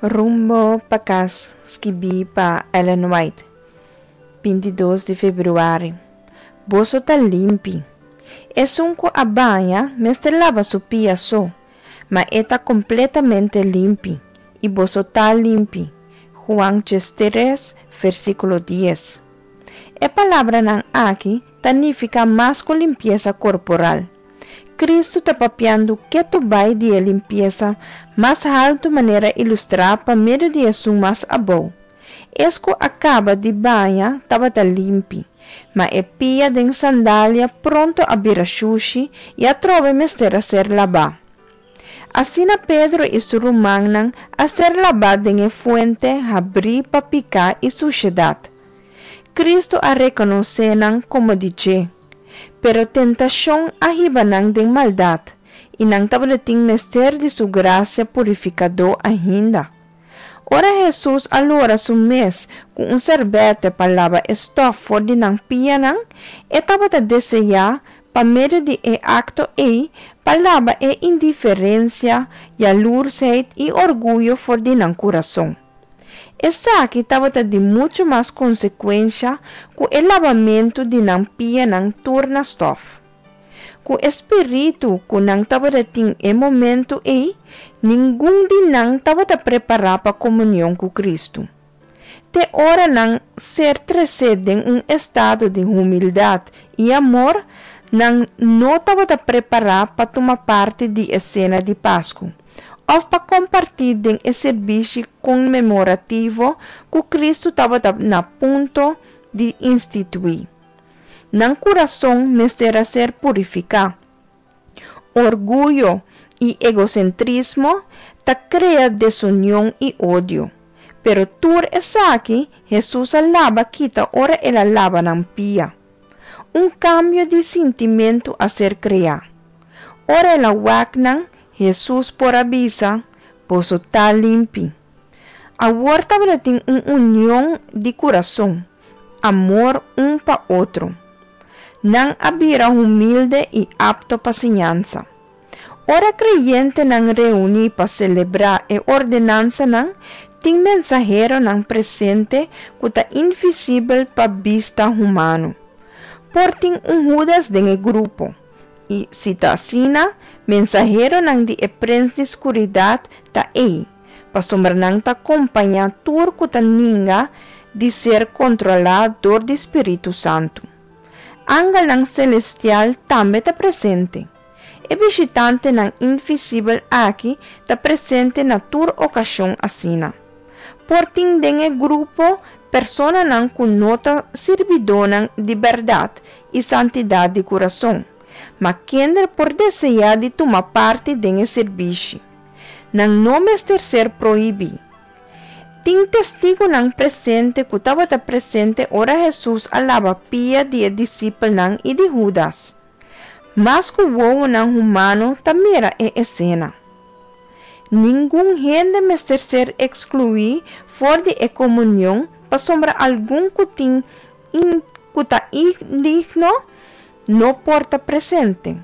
Rumbo pa kas, skibí pa Ellen White, 22 di febrüari. Boso ta limpi. Esun ku a baña mester laba su pia so, ma e ta kompletamente limpi, i boso ta limpi. Juan 3, versíkulo 10. E palabranan aki ta nifiká mas ku limpiesa korporal. Kristu ta papiando ketu bai di e limpiesa mas haltu manera ilustrá pa medio di esun mas abou. Es ku a kaba di baña tabata limpi, ma e pia den sandalia pronto a bira shushi i atrobe mester a ser labá. Asina Pedro i su rumannan a ser labá den e fuente habrí pa piká i sushedat. Kristu a rekonosé nan komo di dje. Pero tentashon a hiba nan den maldat, i nan tabatin mester di su grasia purifikadó ainda. Ora Hesus a lora su mes ku un sèrbètè pa laba e stòf for di nan pianan, e tabata deseá pa medio di e akto ei pa laba e indiferensia, yalursheid i orguyo for di nan kurason. Esaki tabata di muchu mas konsekuensha ku e labamentu di nan pianan tur na stòf. Ku e spiritu ku nan tabatin e momentu ei, ningun di nan tabata prepará pa komunion ku Kristu. Te ora nan ser tresé den un estado di humildat i amor, nan no tabata prepará pa tuma parti di e sena di Pasku òf pa kompartí den e servisio konmemorativo ku Kristu tabata na punto di instituí. Nan kurason mester a ser purifiká. Orguyo i egosentrismo ta krea desunion i odio. Pero tur esaki Hesus a laba kita ora el a laba nan pia. Un kambio di sintimentu a ser kreá. Ora el a wak nan, Hesus por a bisa, Boso ta limpi. Awor tabatin un union di kurason, amor un pa otro. Nan a bira humilde i apto pa siñansa. Ora kreyentenan reuní pa selebrá e ordenansanan, tin mensaheronan presente ku ta invisibel pa bista humano. Por tin un Hudas den e grupo, i si ta asina, mensaheronan di e prens di skuridat ta ei, pasobra nan ta kompañá tur ku ta ninga di ser kontrolá dor di Spiritu Santu. Angelnan selestial tambe ta presente. E bishitantenan invisibel aki ta presente na tur okashon asina. Por tin den e grupo personanan ku no ta sirbidónan di bèrdat i santidat di kurason, ma kende por deseá di tuma parti den e sirbishi. Nan no mester ser prohibí. Tin testigunan presente ku tabata presente ora Hesus a laba pia di e disipelnan i di Hudas. Mas ku wowonan humano ta mira e esena. Ningun hende mester ser ekskluí for di e komunion pasobra algun ku tin ku ta indigno no por ta presente.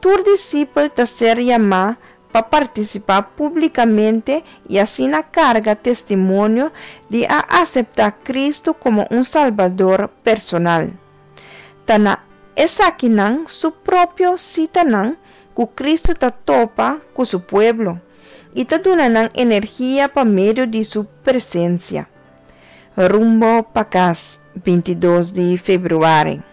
Tur disipel ta ser yamá pa partisipá públikamente i asina karga testimonio di a aseptá Kristu komo un Salbador personal. Ta na esakinan su propio sitanan ku Kristu ta topa ku su pueblo i ta duna nan energia pa medio di su presensia. Rumbo pa kas, 22 di febrüari.